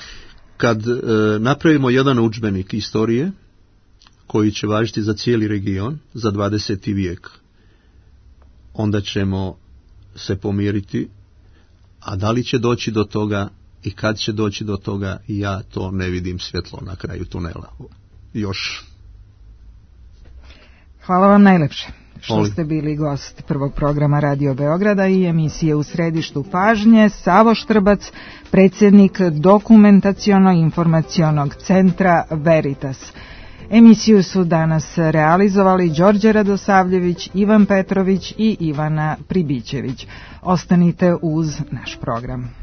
Kad e, napravimo jedan udžbenik istorije koji će važiti za cijeli region, za dvadeseti vijek, onda ćemo se pomiriti, a da li će doći do toga i kad će doći do toga, ja to ne vidim svjetlo na kraju tunela. Još. Hvala vam najlepše što ste bili gost prvog programa Radio Beograda i emisije U središtu pažnje. Savo Štrbac, predsjednik Dokumentaciono-informacionog centra Veritas. Emisiju su danas realizovali Đorđe Radosavljević, Ivan Petrović i Ivana Pribićević. Ostanite uz naš program.